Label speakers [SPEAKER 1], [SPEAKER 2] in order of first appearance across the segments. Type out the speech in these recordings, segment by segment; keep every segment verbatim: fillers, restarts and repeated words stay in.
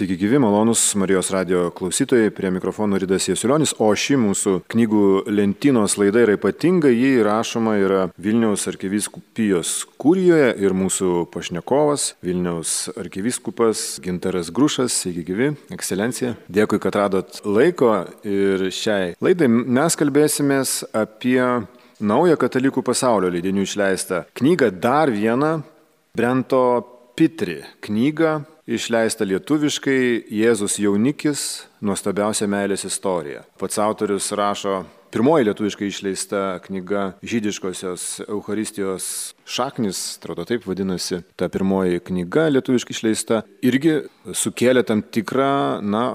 [SPEAKER 1] Sveiki gyvi, malonus Marijos radijo klausytojai, prie mikrofono Ridas Jasiulionis, o ši mūsų knygų lentynos laida yra ypatinga, ji rašoma yra Vilniaus arkivyskupijos kurijoje ir mūsų pašnekovas Vilniaus arkivyskupas Gintaras Grušas. Sveiki gyvi, ekscelencija. Dėkui, kad radot laiko ir šiai laidai mes kalbėsimės apie naują katalikų pasaulio leidinių išleistą knygą, dar vieną Brento Pitri knygą, išleista lietuviškai Jėzus jaunikis, nuostabiausia meilės istorija. Pats autorius rašo, pirmoji lietuviškai išleista knyga Žydiškosios Eucharistijos šaknis, atrodo taip vadinasi, ta pirmoji knyga lietuviškai išleista, irgi sukėlė tam tikrą, na,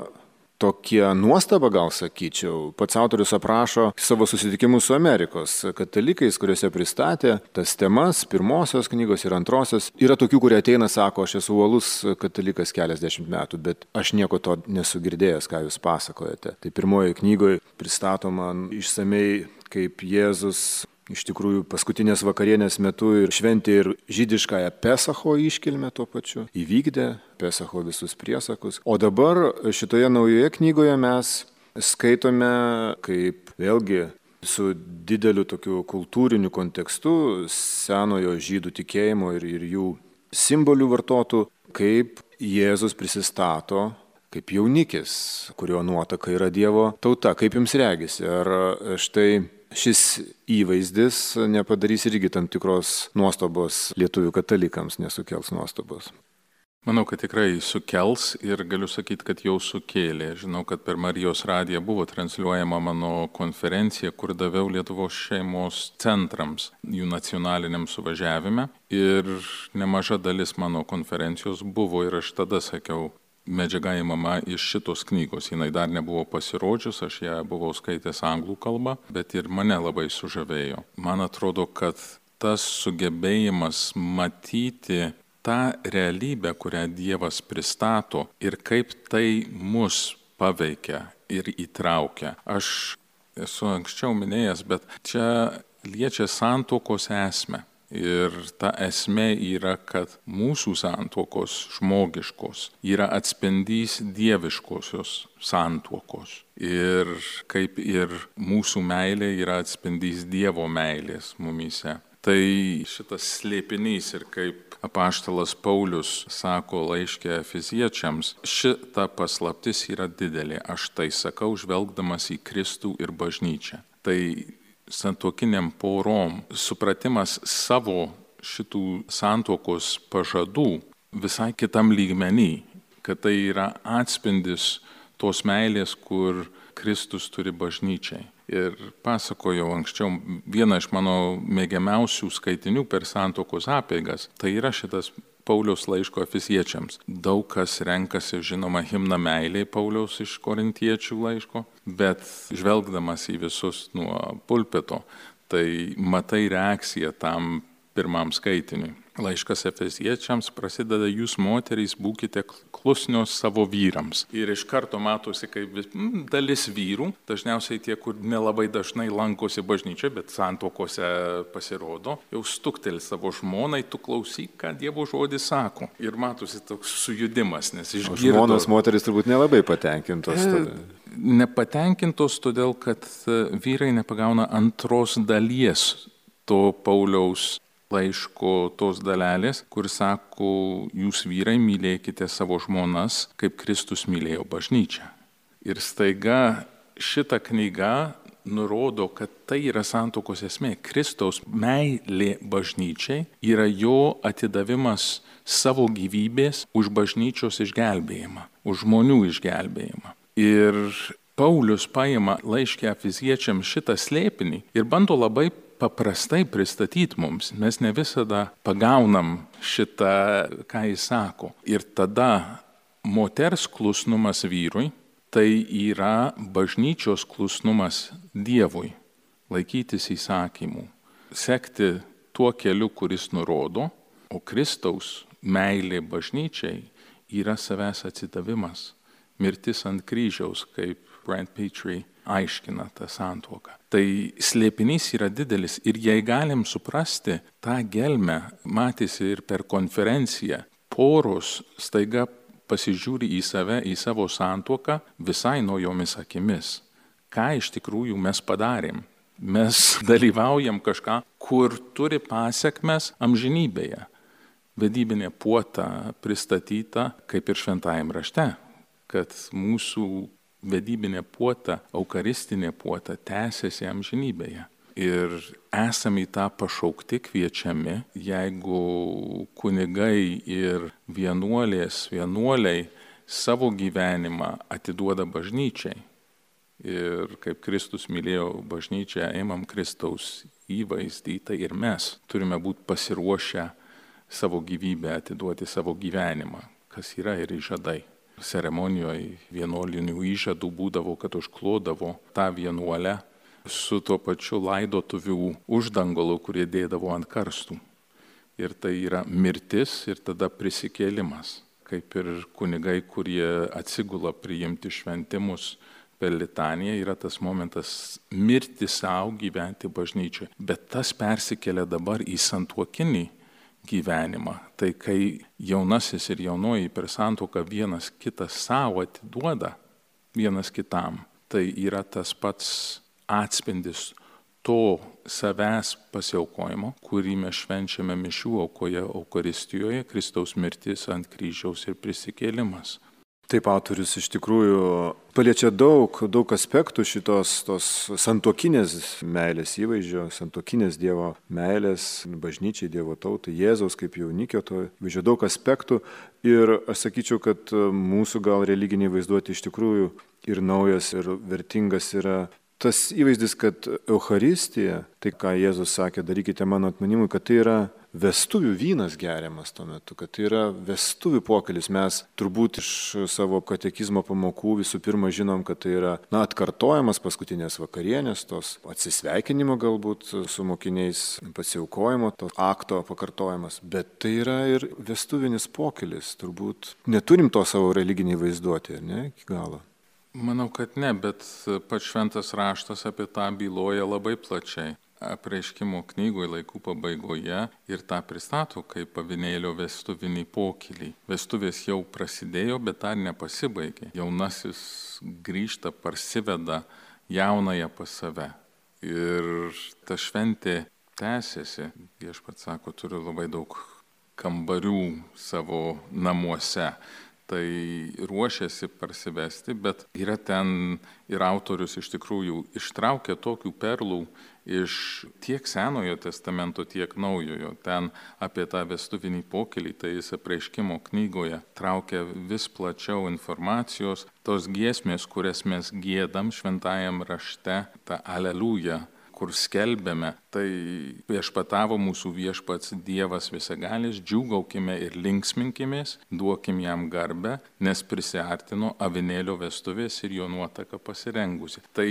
[SPEAKER 1] tokie nuostabą, gal sakyčiau. Pats autorius aprašo savo susitikimus su Amerikos katalikais, kuriuose pristatė tas temas, pirmosios knygos ir antrosios. Yra tokių, kurie ateina, sako, aš esu uolus katalikas keliasdešimt metų, bet aš nieko to nesu girdėjęs, ką jūs pasakojate. Tai pirmoji knygoje pristatoma išsamei, kaip Jėzus iš tikrųjų paskutinės vakarienės metu ir šventė ir žydiškąją Pesacho iškilmę tuo pačiu, įvykdė Pesacho visus priesakus. O dabar šitoje naujoje knygoje mes skaitome, kaip vėlgi su dideliu tokiu kultūriniu kontekstu senojo žydų tikėjimo ir, ir jų simbolių vartotų, kaip Jėzus prisistato kaip jaunikis, kurio nuotaka yra Dievo tauta. Kaip jums regisi? Ar štai šis įvaizdis nepadarys irgi tam tikros nuostabos lietuvių katalikams, nesukels nuostabos?
[SPEAKER 2] Manau, kad tikrai sukels ir galiu sakyti, kad jau sukėlė. Žinau, kad per Marijos radiją buvo transliuojama mano konferencija, kur daviau Lietuvos šeimos centrams jų nacionaliniam suvažiavime. Ir nemaža dalis mano konferencijos buvo ir aš tada sakiau, medžiaga įmama iš šitos knygos. Jinai dar nebuvo pasirodžius, aš ją buvau skaitęs anglų kalbą, bet ir mane labai sužavėjo. Man atrodo, kad tas sugebėjimas matyti tą realybę, kurią Dievas pristato ir kaip tai mus paveikia ir įtraukia. Aš esu anksčiau minėjęs, bet čia liečia santuokos esmę. Ir ta esmė yra, kad mūsų santuokos žmogiškos yra atspindys dieviškosios santuokos. Ir kaip ir mūsų meilė yra atspindys Dievo meilės mumyse. Tai šitas slėpinys ir kaip apaštalas Paulius sako laiške Efeziečiams, šita paslaptis yra didelė. Aš tai sakau, žvelgdamas į Kristų ir bažnyčią. Tai santuokiniam porom supratimas savo šitų santuokos pažadų visai kitam lygmenį, kad tai yra atspindis tos meilės, kur Kristus turi bažnyčiai. Ir pasakojau anksčiau vieną iš mano mėgiamiausių skaitinių per santuokos apeigas, tai yra šitas Pauliaus laiško Efeziečiams. Daug kas renkasi, žinoma, himną meiliai Pauliaus iš Korintiečių laiško, bet žvelgdamas į visus nuo pulpito, tai matai reakciją tam pirmam skaitiniui. Laiškas Efeziečiams prasideda, jūs moterys būkite klusnios savo vyrams. Ir iš karto matosi, kaip mm, dalis vyrų, dažniausiai tie, kur nelabai dažnai lankosi bažnyčioje, bet santuokose pasirodo, jau stukteli savo žmonai, tu klausyk, ką Dievo žodis sako. Ir matosi toks sujudimas, nes išgirdo.
[SPEAKER 1] O žmonos moterys turbūt nelabai patenkintos tada.
[SPEAKER 2] Nepatenkintos todėl, kad vyrai nepagauna antros dalies to Pauliaus laiško tos dalelės, kur sako, jūs vyrai mylėkite savo žmonas, kaip Kristus mylėjo bažnyčią. Ir staiga šita knyga nurodo, kad tai yra santuokos esmė. Kristaus meilė bažnyčiai yra jo atidavimas savo gyvybės už bažnyčios išgelbėjimą, už žmonių išgelbėjimą. Ir Paulius paima laiške Efeziečiams šitą slėpinį ir bando labai paprastai pristatyti mums. Mes ne visada pagaunam šitą, ką jis sako. Ir tada moters klusnumas vyrui, tai yra bažnyčios klusnumas Dievui, laikytis įsakymų, sekti tuo keliu, kuris nurodo, o Kristaus meilė bažnyčiai yra savęs atsidavimas, mirtis ant kryžiaus, kaip Brent Pitri aiškina tą santuoką. Tai slėpinys yra didelis ir jei galim suprasti tą gelmę, matėsi ir per konferenciją, poros staiga pasižiūri į save, į savo santuoką visai naujomis akimis. Ką iš tikrųjų mes padarėm? Mes dalyvaujam kažką, kur turi pasiekmes amžinybėje. Vedybinė puota pristatyta kaip ir šventajam rašte, kad mūsų vedybinė puota, eucharistinė puota tęsiasi amžinybėje. Ir esame į tą pašaukti kviečiami, jeigu kunigai ir vienuolės, vienuoliai savo gyvenimą atiduoda bažnyčiai. Ir kaip Kristus mylėjo bažnyčią, ėmam Kristaus įvaizdį, tai ir mes turime būti pasiruošę savo gyvybę atiduoti, savo gyvenimą, kas yra ir įžadai. Ceremonijoje vienuolinių įžadų būdavo, kad užklodavo tą vienuolę su tuo pačiu laidotuvių uždangolu, kurie dėdavo ant karstų. Ir tai yra mirtis ir tada prisikėlimas. Kaip ir kunigai, kurie atsigula priimti šventimus per litaniją, yra tas momentas mirti savo, gyventi bažnyčioje. Bet tas persikelia dabar į santuokinį gyvenimą. Tai kai jaunasis ir jaunoji per santuoką vienas kitą savo atiduoda, vienas kitam, tai yra tas pats atspindis to savęs pasiaukojimo, kurį mes švenčiame mišių aukoje, Eucharistijoje, Kristaus mirtis ant kryžiaus ir prisikėlimas.
[SPEAKER 1] Taip, autorius iš tikrųjų paliečia daug, daug aspektų šitos tos santuokinės meilės įvaizdžio, santuokinės Dievo meilės, bažnyčiai, Dievo tautai, Jėzaus kaip jaunikio, to įvaizdžio daug aspektų. Ir aš sakyčiau, kad mūsų gal religiniai vaizduoti iš tikrųjų ir naujas, ir vertingas yra tas įvaizdis, kad Eucharistija, tai ką Jėzus sakė, darykite mano atminimui, kad tai yra vestuvių vynas geriamas tuo metu, kad tai yra vestuvių pokylis. Mes turbūt iš savo katekizmo pamokų visų pirma žinom, kad tai yra na, atkartojamas paskutinės vakarienės, tos atsisveikinimo galbūt su mokiniais, pasiaukojimo, to akto pakartojimas, bet tai yra ir vestuvinis pokylis. Turbūt neturim to savo religiniai vaizduoti, ne, iki galo.
[SPEAKER 2] Manau, kad ne, bet pats šventas raštas apie tą byloja labai plačiai. Apreiškimo knygoje laikų pabaigoje ir tą pristato kaip avinėlio vestuvinį pokylį. Vestuvės jau prasidėjo, bet dar nepasibaigė. Jaunasis grįžta, parsiveda jaunąją pas save. Ir ta šventė tęsiasi. Viešpats sako, turiu labai daug kambarių savo namuose. Tai ruošiasi parsivesti, bet yra ten ir autorius iš tikrųjų ištraukia tokių perlų iš tiek Senojo testamento, tiek Naujojo. Ten apie tą vestuvinį pokylį, tai jis apreiškimo knygoje traukia vis plačiau informacijos. Tos giesmės, kurias mes giedam šventajam rašte, ta Aleliuja, kur skelbėme, tai viešpatavo mūsų viešpats Dievas visagalis, džiūgaukime ir linksminkimės, duokim jam garbę, nes prisiartino avinėlio vestuvės ir jo nuotaka pasirengusi. Tai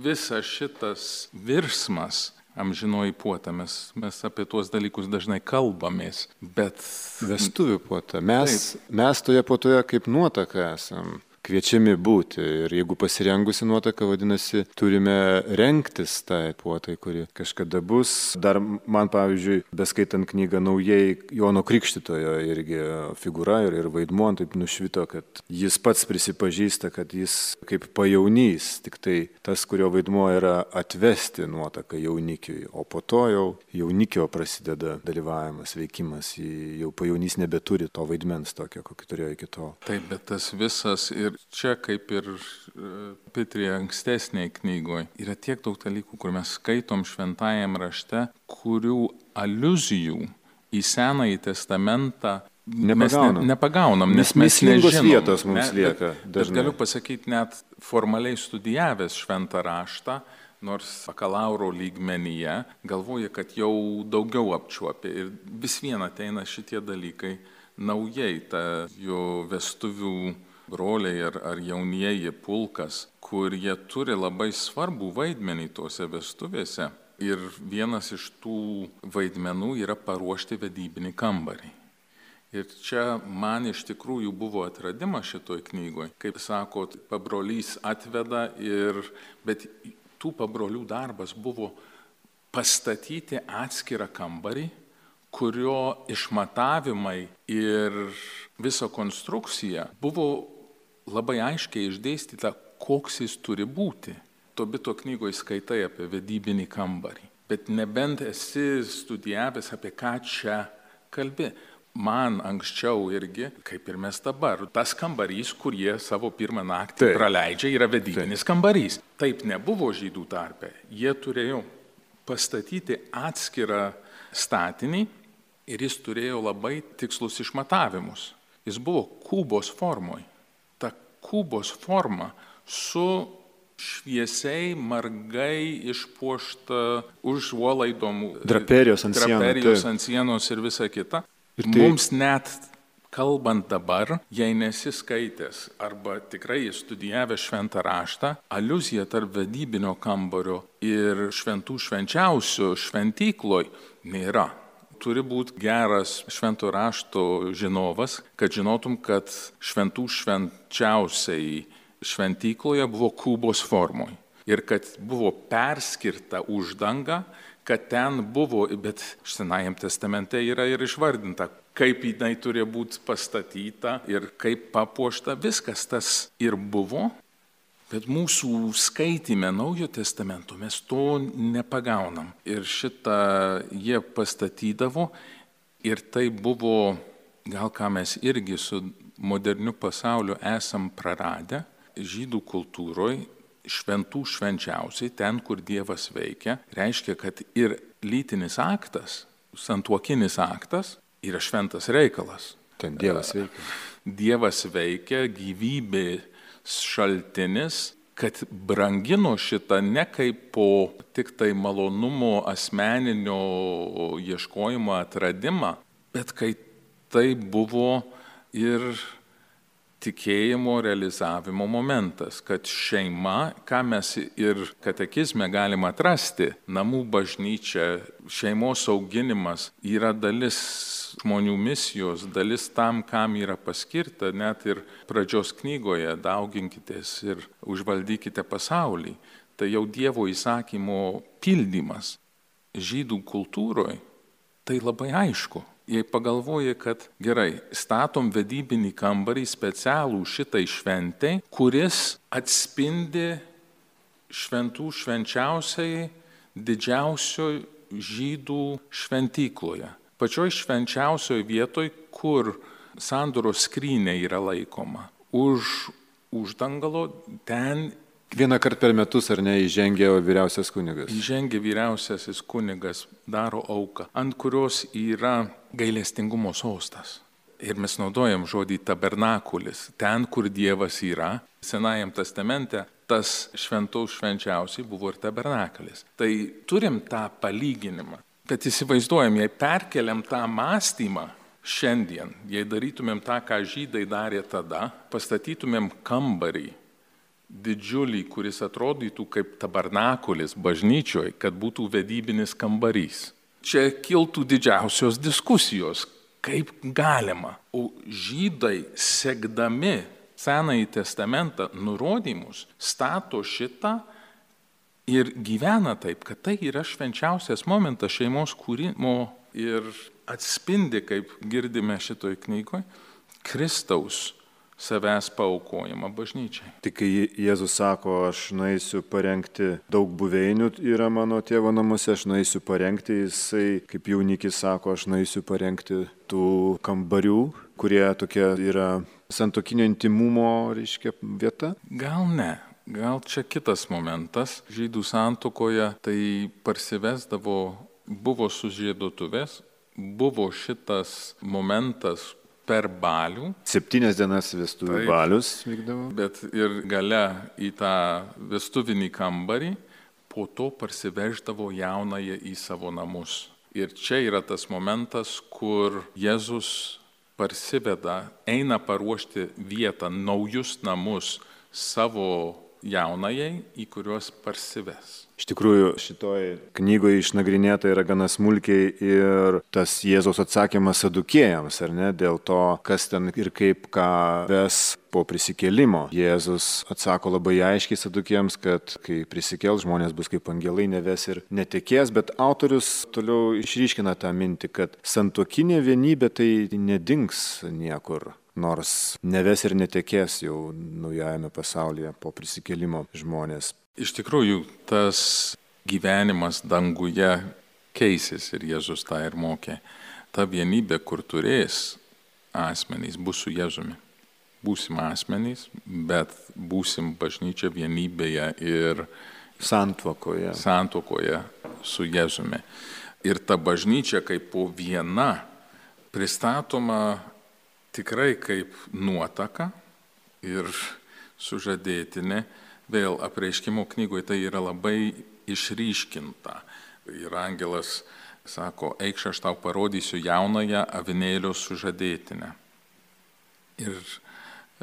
[SPEAKER 2] visas šitas virsmas, amžinoji puota, mes, mes apie tuos dalykus dažnai kalbamės, bet...
[SPEAKER 1] Vestuvių puota. Mes, mes toje puotoje kaip nuotaka esam kviečiami būti. Ir jeigu pasirengusi nuotaka, vadinasi, turime rengtis tai puotai, kuri kažkada bus. Dar man, pavyzdžiui, beskaitant knygą naujai, Jono Krikštytojo irgi figūra ir, ir vaidmuo taip nušvito, kad jis pats prisipažįsta, kad jis kaip pajaunys, tik tai tas, kurio vaidmuo yra atvesti nuotaką jaunikiui, o po to jau jaunikio prasideda dalyvavimas, veikimas, jau pajaunys nebeturi to vaidmens tokio, kokį turėjo iki tol.
[SPEAKER 2] Taip, bet tas visas ir čia, kaip ir Petrė ankstesnėje knygoje, yra tiek daug dalykų, kur mes skaitom šventajam rašte, kurių aliuzijų į Senąjį testamentą
[SPEAKER 1] nepagaunam.
[SPEAKER 2] mes ne, nepagaunam, nes mes
[SPEAKER 1] mislingos
[SPEAKER 2] nežinom.
[SPEAKER 1] Vietos mums
[SPEAKER 2] ne,
[SPEAKER 1] lieka.
[SPEAKER 2] Bet, bet galiu pasakyti, net formaliai studijavęs šventą raštą, nors bakalauro lygmenyje, galvoja, kad jau daugiau apčiuopė. Ir vis viena ateina šitie dalykai naujai, ta jo vestuvių broliai ar, ar jaunieji pulkas, kur jie turi labai svarbų vaidmenį tose vestuvėse. Ir vienas iš tų vaidmenų yra paruošti vedybinį kambarį. Ir čia man iš tikrųjų buvo atradimas šitoj knygoje. Kaip sakot, pabrolys atveda, ir, bet tų pabrolių darbas buvo pastatyti atskirą kambarį, kurio išmatavimai ir visa konstrukcija buvo labai aiškiai išdėstyta, koks jis turi būti. Tobito knygoje skaitai apie vedybinį kambarį, bet nebent esi studijavęs, apie ką čia kalbi. Man anksčiau irgi, kaip ir mes dabar, tas kambarys, kur jie savo pirmą naktį Taip. praleidžia, yra vedybinis Taip. kambarys. Taip nebuvo žydų tarpe. Jie turėjo pastatyti atskirą statinį ir jis turėjo labai tikslus išmatavimus. Jis buvo kubos formoj. Ta kubos forma su šviesiai, margai išpuošta užuolaidom,
[SPEAKER 1] draperijos ant sienos,
[SPEAKER 2] draperijos ant sienos ir visa kita. Ir tai... Mums net kalbant dabar, jei nesiskaitęs arba tikrai studijavęs šventą raštą, aliuzija tarp vedybinio kambario ir šventų švenčiausių šventykloj nėra. Turi būti geras švento rašto žinovas, kad žinotum, kad šventų švenčiausiai šventykloje buvo kubos formoj ir kad buvo perskirta uždanga, kad ten buvo, bet Senajam testamente yra ir išvardinta, kaip jinai turėjo būti pastatyta ir kaip papuošta, viskas tas ir buvo, bet mūsų skaitime Naujo testamento mes to nepagaunam. Ir šitą jie pastatydavo ir tai buvo, gal ką mes irgi su moderniu pasauliu esam praradę, žydų kultūroje šventų švenčiausiai, ten, kur Dievas veikia, reiškia, kad ir lytinis aktas, santuokinis aktas, yra šventas reikalas.
[SPEAKER 1] Ten Dievas veikia.
[SPEAKER 2] Dievas veikia, gyvybės šaltinis, kad brangino šitą ne kaip po tik tai malonumo asmeninio ieškojimo atradimą, bet kai tai buvo ir tikėjimo realizavimo momentas, kad šeima, ką mes ir katekizme galime atrasti, namų bažnyčia, šeimos auginimas yra dalis žmonių misijos, dalis tam, kam yra paskirta, net ir pradžios knygoje dauginkitės ir užvaldykite pasaulį. Tai jau Dievo įsakymo pildymas. Žydų kultūroje tai labai aišku. Jei pagalvoji, kad gerai, statom vedybinį kambarį specialų šitai šventai, kuris atspindi šventų švenčiausiai didžiausioj žydų šventykloje. Pačioj švenčiausioj vietoj, kur sandoros skrynė yra laikoma. Už uždangalo ten
[SPEAKER 1] Vieną kartą per metus, ar ne, įžengia vyriausias kunigas?
[SPEAKER 2] Įžengia vyriausiasis kunigas, daro auką, ant kurios yra gailestingumo sostas. Ir mes naudojam žodį tabernakulis, ten, kur Dievas yra. Senajam testamente tas šventos švenčiausiai buvo ir tabernakulis. Tai turim tą palyginimą, kad įsivaizduojam, jei perkeliam tą mąstymą šiandien, jei darytumėm tą, ką žydai darė tada, pastatytumėm kambarį, didžiulį, kuris atrodytų kaip tabernakulis bažnyčioje, kad būtų vedybinis kambarys. Čia kiltų didžiausios diskusijos, kaip galima. O žydai, sekdami Senąjį testamentą nurodymus, stato šitą ir gyvena taip, kad tai yra švenčiausias momentas šeimos kūrimo ir atspindi, kaip girdime šitoj knygoje, Kristaus savęs paaukojimą bažnyčiai.
[SPEAKER 1] Tik kai Jėzus sako, aš nueisiu parengti, daug buveinių yra mano tėvo namuose, aš nueisiu parengti, jisai, kaip jaunikis sako, aš nueisiu parengti tų kambarių, kurie tokie yra santuokinio intimumo, reiškia, vieta?
[SPEAKER 2] Gal ne. Gal čia kitas momentas. Žydų santuokoje tai parsivesdavo, buvo sužiedotuvės, buvo šitas momentas per balių.
[SPEAKER 1] Septynias dienas vestuvių balius vykdavo.
[SPEAKER 2] Bet ir gale į tą vestuvinį kambarį, po to parsiveždavo jaunąją į savo namus. Ir čia yra tas momentas, kur Jėzus parsiveda, eina paruošti vietą, naujus namus savo jaunajai, į kuriuos parsives.
[SPEAKER 1] Iš tikrųjų, šitoj knygoje išnagrinėta yra gana smulkiai ir tas Jėzaus atsakymas sadukėjams, ar ne, dėl to, kas ten ir kaip ką ves po prisikėlimo. Jėzus atsako labai aiškiai sadukėjams, kad kai prisikels, žmonės bus kaip angelai, neves ir netekės, bet autorius toliau išryškina tą mintį, kad santuokinė vienybė tai nedings niekur. Nors neves ir netekės jau naujajame pasaulyje po prisikėlimo žmonės.
[SPEAKER 2] Iš tikrųjų, tas gyvenimas danguje keisis ir Jėzus tą ir mokė. Ta vienybė, kur turės asmenys, bus su Jėzumi. Būsim asmenys, bet būsim bažnyčia vienybėje ir
[SPEAKER 1] santuokoje.
[SPEAKER 2] santuokoje su Jėzumi. Ir ta bažnyčia kaip po viena pristatoma tikrai kaip nuotaka ir sužadėtinė. Vėl apreiškimo knygoje tai yra labai išryškinta. Ir angelas sako, eikš aš tau parodysiu jaunąją avinėlio sužadėtinę. Ir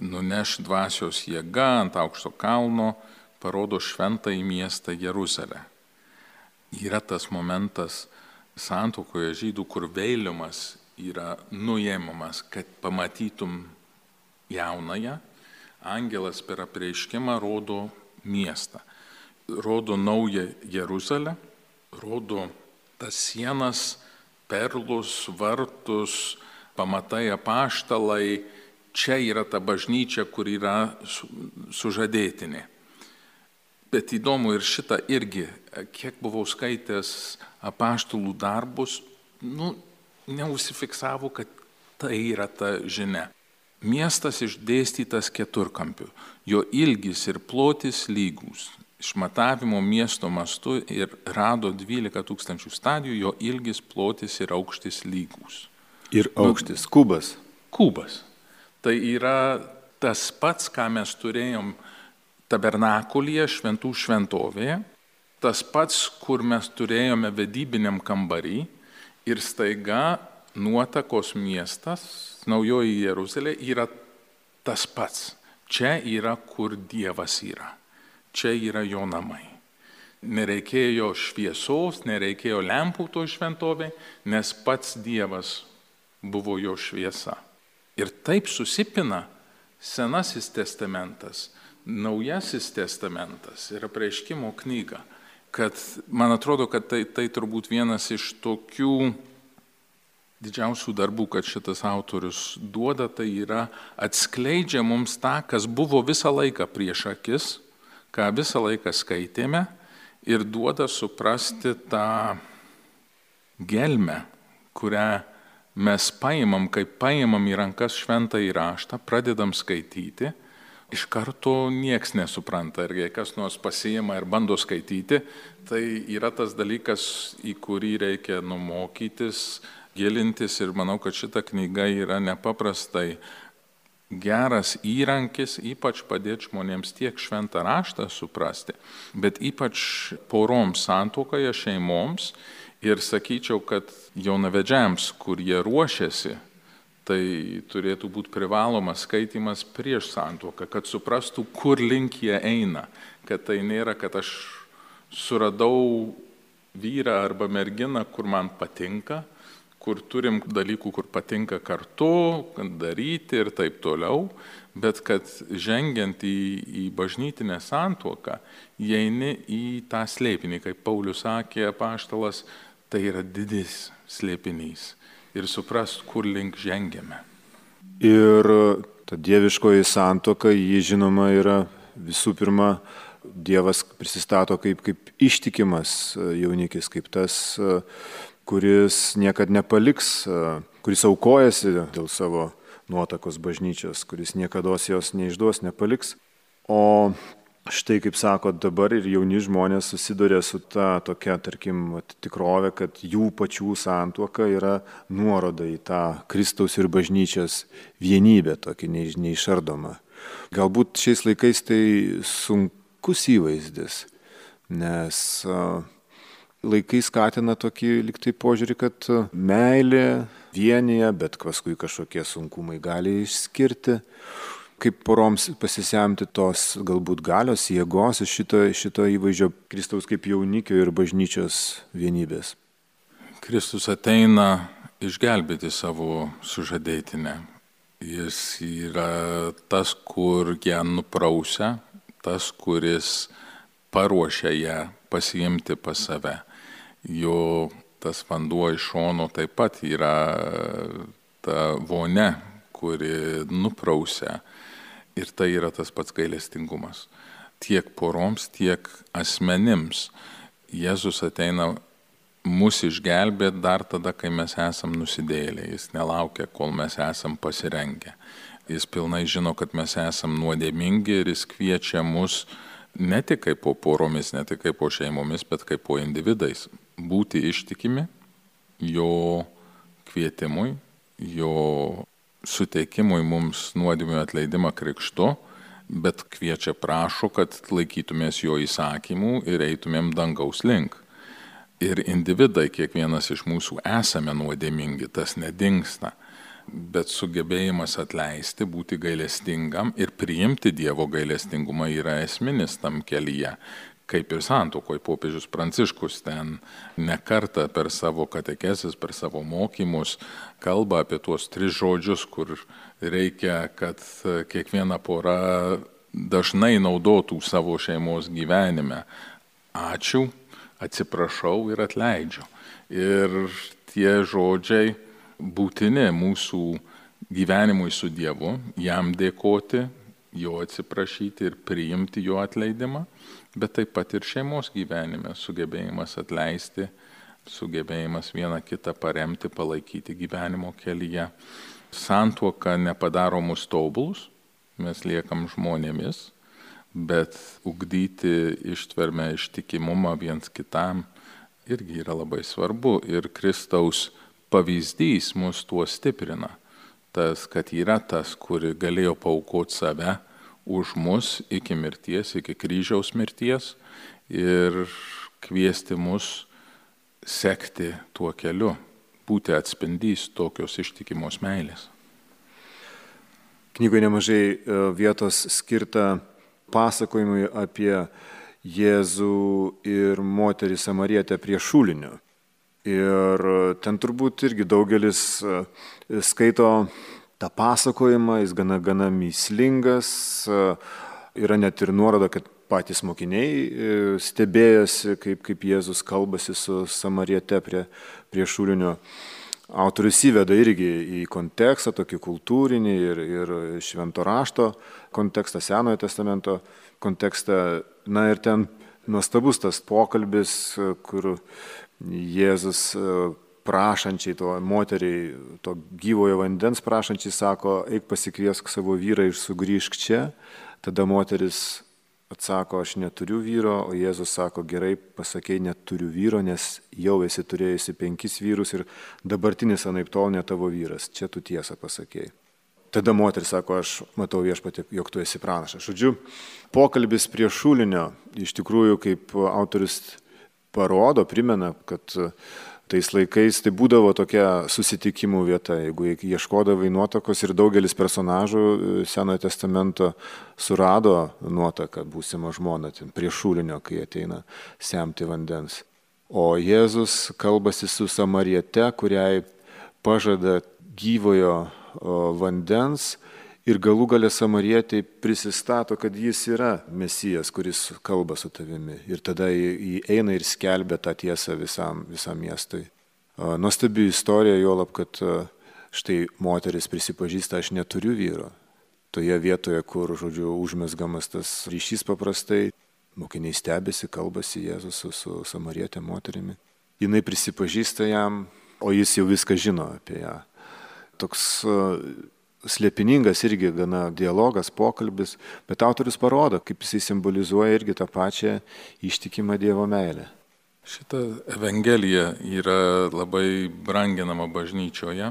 [SPEAKER 2] nuneš dvasios jėga ant aukšto kalno, parodo šventąjį miestą Jeruzalę. Yra tas momentas santuokoje žydų, kur vėliumas yra nuėmamas, kad pamatytum jaunąją. Angelas per apreiškimą rodo miestą, rodo naują Jeruzalę, rodo tas sienas, perlus, vartus, pamatai apaštalai. Čia yra ta bažnyčia, kur yra sužadėtinė. Bet įdomu ir šitą irgi, kiek buvau skaitęs apaštalų darbus, nu, neužsifiksavo, kad tai yra ta žinia. Miestas išdėstytas keturkampiu, jo ilgis ir plotis lygus. Išmatavimo miesto mastu ir rado dvylika tūkstančių stadijų, jo ilgis, plotis ir aukštis lygus.
[SPEAKER 1] Ir aukštis, kubas.
[SPEAKER 2] Kubas. Tai yra tas pats, ką mes turėjom tabernakulyje, šventų šventovėje, tas pats, kur mes turėjome vedybiniam kambarį ir staiga nuotakos miestas, naujoji Jeruzalė, yra tas pats. Čia yra, kur Dievas yra. Čia yra jo namai. Nereikėjo šviesos, nereikėjo lempų to šventovė, nes pats Dievas buvo jo šviesa. Ir taip susipina Senasis testamentas, Naujasis testamentas ir apreiškimo knyga, kad man atrodo, kad tai, tai turbūt vienas iš tokių didžiausių darbų, kad šitas autorius duoda, tai yra atskleidžia mums tą, kas buvo visą laiką prieš akis, ką visą laiką skaitėme ir duoda suprasti tą gelmę, kurią mes paimam, kaip paimam į rankas šventąjį raštą, pradedam skaityti, iš karto nieks nesupranta ir jei kas nors pasiima ir bando skaityti, tai yra tas dalykas, į kurį reikia numokytis, gilintis ir manau, kad šita knyga yra nepaprastai geras įrankis, ypač padėti žmonėms tiek šventą raštą suprasti, bet ypač poroms santuokoje, šeimoms ir sakyčiau, kad jaunavedžiams, kur jie ruošiasi, tai turėtų būti privalomas skaitimas prieš santuoką, kad suprastų, kur link jie eina, kad tai nėra, kad aš suradau vyrą arba merginą, kur man patinka, kur turim dalykų, kur patinka kartu, daryti ir taip toliau, bet kad žengiant į, į bažnytinę santuoką, įeini į tą slėpinį, kaip Paulius sakė apaštalas, tai yra didis slėpinys ir suprast, kur link žengiame.
[SPEAKER 1] Ir ta dieviškoji santuoka, ji žinoma yra visų pirma, Dievas prisistato kaip, kaip ištikimas jaunikis, kaip tas, kuris niekad nepaliks, kuris aukojasi dėl savo nuotakos bažnyčios, kuris niekados jos neišduos, nepaliks. O štai, kaip sako, dabar ir jauni žmonės susiduria su ta tokia, tarkim, tikrovė, kad jų pačių santuoka yra nuoroda į tą Kristaus ir bažnyčios vienybę, tokį neišardomą. Galbūt šiais laikais tai sunkus įvaizdis, nes laikai skatina tokį liktai požiūrį, kad meilė vienyje, bet paskui kažkokie sunkumai gali išskirti. kaip poroms pasisemti tos galbūt galios, jėgos iš šito, šito įvaizdžio Kristaus kaip jaunikio ir bažnyčios vienybės?
[SPEAKER 2] Kristus ateina išgelbėti savo sužadėtinę. Jis yra tas, kur ją nuprausia, tas, kuris paruošia ją pasiimti pas save. Jo tas vanduo iš šono taip pat yra ta vonia, kuri nuprausia. Ir tai yra tas pats gailestingumas. Tiek poroms, tiek asmenims. Jėzus ateina mus išgelbėti dar tada, kai mes esam nusidėjėliai. Jis nelaukia, kol mes esam pasirengę. Jis pilnai žino, kad mes esam nuodėmingi ir jis kviečia mus ne tik kaip po poromis, ne tik kaip po šeimomis, bet kaip po individais. Būti ištikimi jo kvietimui, jo suteikimui mums nuodėmių atleidimą krikštu, bet kviečia prašo, kad laikytumės jo įsakymų ir eitumėm dangaus link. Ir individai, kiekvienas iš mūsų esame nuodėmingi, tas nedingsta, bet sugebėjimas atleisti, būti gailestingam ir priimti Dievo gailestingumą yra esminis tam kelyje. Kaip ir santuokoj, popiežius Pranciškus ten ne kartą per savo katekezes, per savo mokymus kalba apie tuos tris žodžius, kur reikia, kad kiekviena pora dažnai naudotų savo šeimos gyvenime. Ačiū, atsiprašau ir atleidžiu. Ir tie žodžiai būtini mūsų gyvenimui su Dievu, jam dėkoti, jo atsiprašyti ir priimti jo atleidimą, bet taip pat ir šeimos gyvenime sugebėjimas atleisti, sugebėjimas vieną kitą paremti, palaikyti gyvenimo kelyje. Santuoka nepadaro mus tobulus, mes liekam žmonėmis, bet ugdyti ištvermę, ištikimumą viens kitam irgi yra labai svarbu. Ir Kristaus pavyzdys mus tuo stiprina. Tas, kad yra tas, kuri galėjo paaukoti save už mus iki mirties, iki kryžiaus mirties ir kviesti mus sekti tuo keliu, būti atspindys tokios ištikimos meilės.
[SPEAKER 1] Knygoje nemažai vietos skirta pasakojimui apie Jėzų ir moterį Samarietę prie šulinio. Ir ten turbūt irgi daugelis skaito tą pasakojimą, jis gana, gana mįslingas, yra net ir nuoroda, kad patys mokiniai stebėjosi, kaip, kaip Jėzus kalbasi su Samariete prie, prie šulinio. Autorius įveda irgi į kontekstą, tokį kultūrinį ir, ir švento rašto kontekstą, Senojo testamento kontekstą. Na ir ten nuostabus tas pokalbis, kur Jėzus prašančiai, to moteriai, to gyvojo vandens prašančiai sako, eik pasikviesk savo vyrą ir sugrįžk čia. Tada moteris atsako, aš neturiu vyro, o Jėzus sako, gerai, pasakei, neturiu vyro, nes jau esi turėjusi penkis vyrus ir dabartinis anaiptol ne tavo vyras. Čia tu tiesą pasakei. Tada moteris sako, aš matau viešpatie, jog tu esi pranašas. Žodžiu, pokalbis prie šulinio, iš tikrųjų, kaip autorius parodo, primena, kad tais laikais tai būdavo tokia susitikimų vieta, jeigu ieškodavai nuotakos ir daugelis personažų Senojo testamento surado nuotaką būsimą žmoną prie šulinio, kai ateina semti vandens. O Jėzus kalbasi su Samariete, kuriai pažada gyvojo vandens ir galų gale Samarietei prisistato, kad jis yra Mesijas, kuris kalba su tavimi. Ir tada jį eina ir skelbia tą tiesą visam, visam miestui. Nuostabi istorija, juolab, kad štai moteris prisipažįsta, aš neturiu vyro. Toje vietoje, kur, žodžiu, užmesgamas tas ryšys paprastai, mokiniai stebėsi, kalbasi Jėzus su, su Samarietė moterimi. Jinai prisipažįsta jam, o jis jau viską žino apie ją. Toks slėpiningas irgi gana dialogas, pokalbis, bet autorius parodo, kaip jisai simbolizuoja irgi tą pačią ištikimą Dievo meilę.
[SPEAKER 2] Šita evangelija yra labai branginama bažnyčioje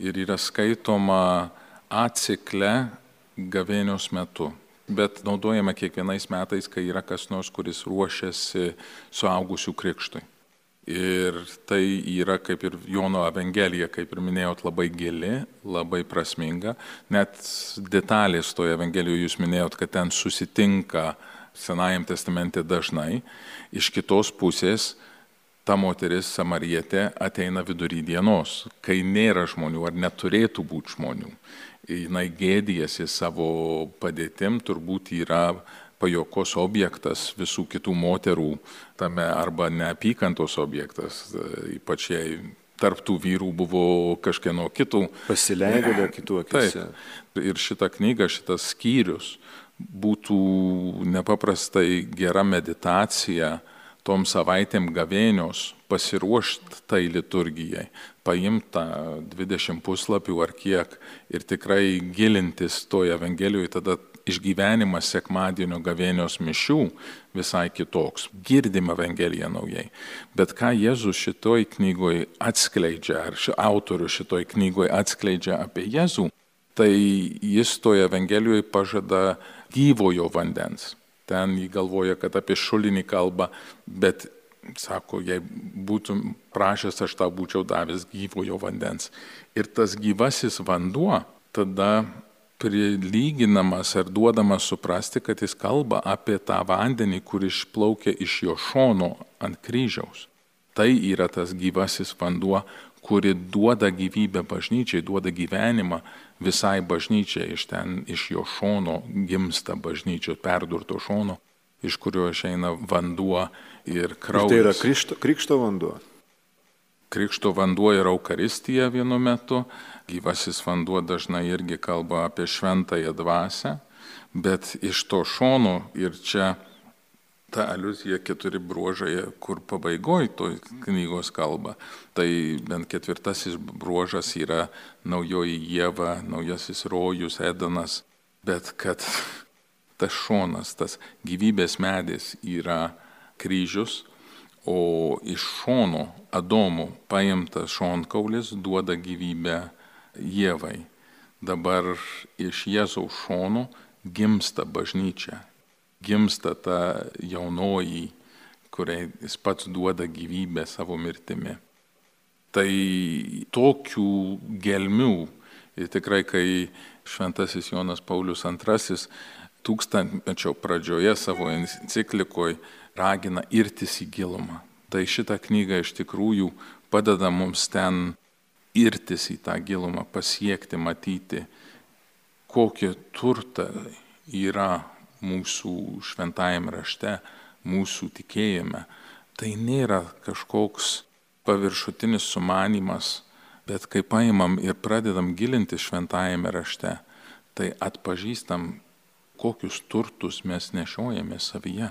[SPEAKER 2] ir yra skaitoma atsikle gavėnios metu, bet naudojama kiekvienais metais, kai yra kas nors, kuris ruošiasi suaugusių krikštui. Ir tai yra kaip ir Jono Evangelija, kaip ir minėjot, labai gili, labai prasminga. Net detalės toje Evangelijoje jūs minėjot, kad ten susitinka Senajam testamente dažnai. Iš kitos pusės ta moteris samarietė ateina vidury dienos, kai nėra žmonių ar neturėtų būti žmonių. Jinai gėdijasi savo padėtim, turbūt yra pajokos objektas visų kitų moterų tame arba neapykantos objektas, ypač jei tarptų vyrų buvo kažkieno kitų.
[SPEAKER 1] Pasileidėlio kitų akise.
[SPEAKER 2] Taip. Ir šita knyga, šitas skyrius būtų nepaprastai gera meditacija tom savaitėm gavėnios, pasiruošti tai liturgijai, paimti tą dvidešimt puslapių ar kiek ir tikrai gilintis toje Evangelijoje, tada išgyvenimas sekmadienio gavėnios mišių visai kitoks. Girdim Evangeliją naujai. Bet ką Jėzus šitoj knygoj atskleidžia, ar ši autorius šitoj knygoj atskleidžia apie Jėzų, tai jis toje Evangelijoje pažada gyvojo vandens. Ten jį galvoja, kad apie šulinį kalba, bet sako, jei būtum prašęs, aš tau būčiau davęs gyvojo vandens. Ir tas gyvasis vanduo tada prilyginamas ar duodamas suprasti, kad jis kalba apie tą vandenį, kur išplaukia iš jo šono ant kryžiaus. Tai yra tas gyvasis vanduo, kuri duoda gyvybę bažnyčiai, duoda gyvenimą visai bažnyčiai. Iš ten, iš jo šono gimsta bažnyčios, perdurto šono, iš kurio išeina vanduo ir kraujas.
[SPEAKER 1] Ir tai yra krikšto, krikšto vanduo?
[SPEAKER 2] Krikšto vanduo yra Eukaristija vienu metu, gyvasis vanduo dažnai irgi kalba apie šventąją dvasią, bet iš to šono ir čia ta aliuzija keturi bruožai, kur pabaigoj toj knygos kalba. Tai bent ketvirtasis bruožas yra naujoji Ieva, naujasis rojus, Edenas, bet kad tas šonas, tas gyvybės medis yra kryžius, o iš šono Adomo paimtas šonkaulis duoda gyvybę Ievai. Dabar iš Jėzaus šono gimsta bažnyčia. Gimsta ta jaunoji, kuriai jis pats duoda gyvybę savo mirtimi. Tai tokių gelmių, ir tikrai kai šventasis Jonas Paulius antrasis tūkstantmečio pradžioje savo enciklikoje ragina irtis į gilumą. Tai šitą knygą iš tikrųjų padeda mums ten irtis į tą gilumą, pasiekti, matyti, kokie turtai yra mūsų šventajame rašte, mūsų tikėjime. Tai nėra kažkoks paviršutinis sumanymas, bet kai paimam ir pradedam gilinti šventajame rašte, tai atpažįstam, kokius turtus mes nešiojame savyje.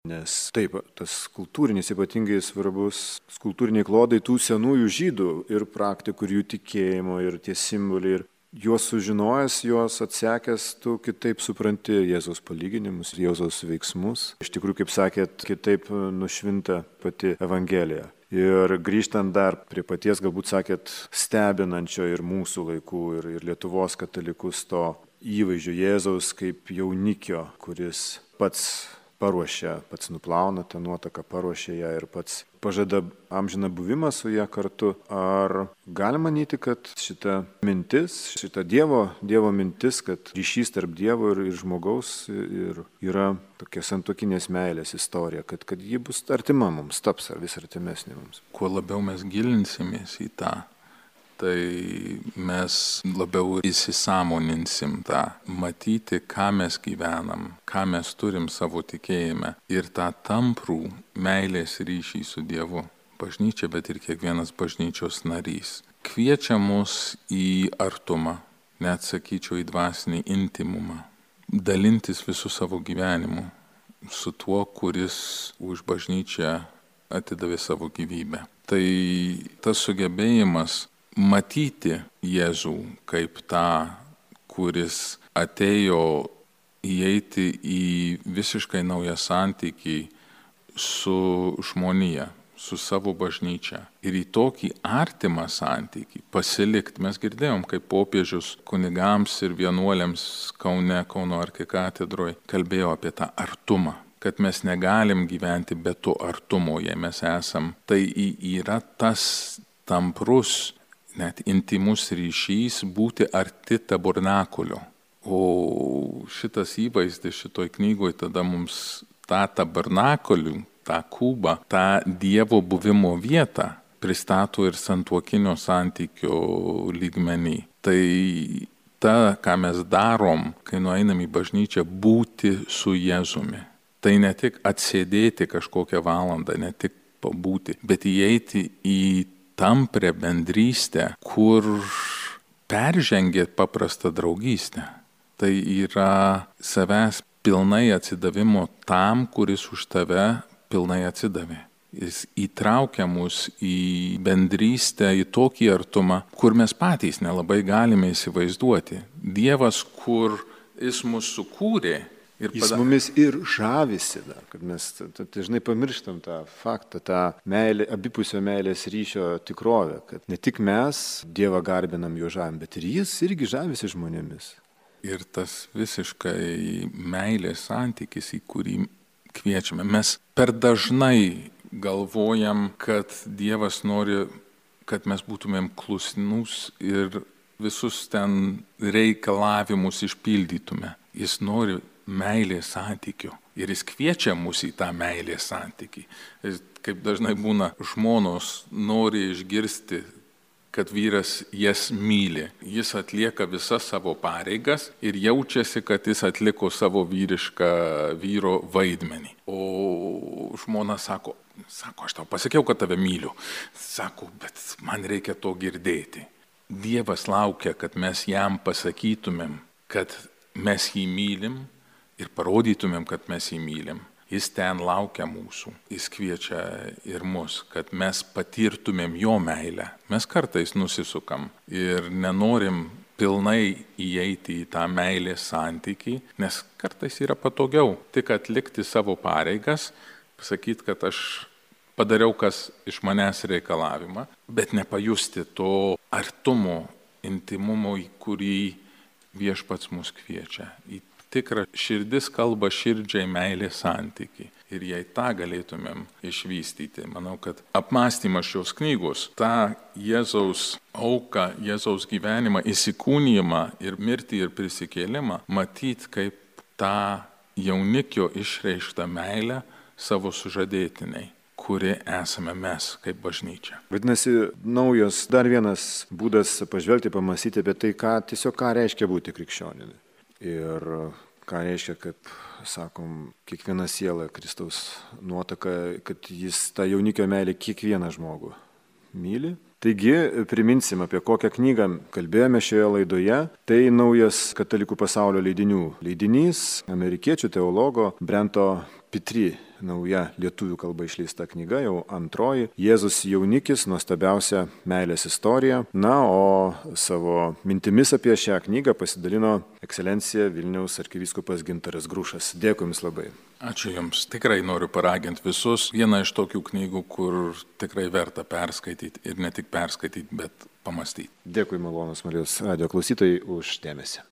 [SPEAKER 1] Nes taip, tas kultūrinis ypatingai svarbus, kultūriniai klodai tų senųjų žydų ir praktikų, ir jų tikėjimo, ir tie simboliai, ir juos sužinojęs, juos atsekęs, tu kitaip supranti Jėzaus palyginimus, Jėzaus veiksmus. Iš tikrųjų, kaip sakėt, kitaip nušvinta pati Evangelija. Ir grįžtant dar prie paties, galbūt sakėt, stebinančio ir mūsų laikų, ir, ir Lietuvos katalikus to įvaizdžio Jėzaus kaip jaunikio, kuris pats paruošia, pats nuplauna tą nuotaką, paruošia ją ir pats pažada amžiną buvimą su ją kartu. Ar galima manyti, kad šita mintis, šita Dievo, Dievo mintis, kad ryšys tarp Dievo ir, ir žmogaus ir yra tokia santuokinės meilės istorija, kad, kad ji bus artima mums, taps ar vis artimesnė mums?
[SPEAKER 2] Kuo labiau mes gilinsimės į tą, tai mes labiau įsisąmoninsim tą, matyti, ką mes gyvenam, ką mes turim savo tikėjime ir tą tamprų meilės ryšį su Dievu. Bažnyčia, bet ir kiekvienas bažnyčios narys kviečia mus į artumą, net sakyčiau į dvasinį intimumą, dalintis visų savo gyvenimu su tuo, kuris už bažnyčią atidavė savo gyvybę. Tai tas sugebėjimas matyti Jėzų kaip tą, kuris atėjo įeiti į visiškai naują santykį su žmonija, su savo bažnyčia. Ir į tokį artimą santykį pasilikti. Mes girdėjom, kaip popiežius kunigams ir vienuoliams Kaune, Kauno arkikatedroje kalbėjo apie tą artumą. kad mes negalim gyventi be to artumo, jei mes esam. Tai yra tas tamprus, net intimus ryšys būti arti tabernakulio. O šitas įvaizdis šitoj knygoj tada mums tą tabernakulių, tą kubą, tą Dievo buvimo vietą pristato ir santuokinio santykio lygmenį. Tai ta, ką mes darom, kai nueinam į bažnyčią, būti su Jėzumi. Tai ne tik atsėdėti kažkokią valandą, ne tik pabūti, bet įeiti į tamprią bendrystę, kur peržengė paprastą draugystę. Tai yra savęs pilnai atsidavimo tam, kuris už tave pilnai atsidavė. Jis įtraukia mus į bendrystę, į tokį artumą, kur mes patys nelabai galime įsivaizduoti. Dievas, kur jis mus sukūrė. Ir
[SPEAKER 1] Jis pada... mumis ir žavisi dar, kad mes dažnai pamirštam tą faktą, tą meilę, abipusio meilės ryšio tikrovę, kad ne tik mes Dievą garbinam, jo žavim, bet ir jis irgi žavisi žmonėmis.
[SPEAKER 2] Ir tas visiškai meilės santykis, į kurį kviečiame. Mes per dažnai galvojam, kad Dievas nori, kad mes būtumėm klusnus ir visus ten reikalavimus išpildytume. Jis nori meilės santykių ir jis kviečia mus į tą meilės santykį. Kaip dažnai būna, žmonos nori išgirsti, kad vyras jas myli. Jis atlieka visas savo pareigas ir jaučiasi, kad jis atliko savo vyrišką vyro vaidmenį. O žmona sako, sako, aš tau pasakiau, kad tave myliu. Sako, bet man reikia to girdėti. Dievas laukia, kad mes jam pasakytumėm, kad mes jį mylim ir parodytumėm, kad mes jį mylim. Jis ten laukia mūsų, jis kviečia ir mus, kad mes patirtumėm jo meilę. Mes kartais nusisukam ir nenorim pilnai įeiti į tą meilės santykį, nes kartais yra patogiau tik atlikti savo pareigas, pasakyti, kad aš padariau, kas iš manęs reikalavimą, bet nepajusti to artumo, intimumo, į kurį Viešpats mus kviečia. Į tikrą širdis kalba širdžiai meilės santykį. Ir jei tą galėtumėm išvystyti, manau, kad apmąstymas šios knygos, tą Jėzaus auką, Jėzaus gyvenimą, įsikūnijimą ir mirtį ir prisikėlimą, matyti kaip tą jaunikio išreikštą meilę savo sužadėtiniai, kuri esame mes kaip bažnyčia.
[SPEAKER 1] Vadinasi, naujas dar vienas būdas pažvelgti, pamąstyti apie tai, ką, tiesiog ką reiškia būti krikščionimi. Ir ką reiškia, kaip sakom, kiekviena siela Kristaus nuotaka, kad jis tą jaunikio meilę kiekvieną žmogų myli. Taigi, priminsim, apie kokią knygą kalbėjome šioje laidoje. Tai naujas Katalikų pasaulio leidinių leidinys, amerikiečių teologo Brento Pitri, nauja lietuvių kalba išleista knyga, jau antroji. Jėzus jaunikis, nuostabiausia meilės istorija. Na, o savo mintimis apie šią knygą pasidalino ekscelencija Vilniaus arkivyskupas Gintaras Grušas. Dėkui Jums labai.
[SPEAKER 2] Ačiū Jums. Tikrai noriu paraginti visus. Viena iš tokių knygų, kur tikrai verta perskaityti ir ne tik perskaityti, bet pamastyti.
[SPEAKER 1] Dėkui, malonūs Marijos radijo klausytojai, už dėmesį.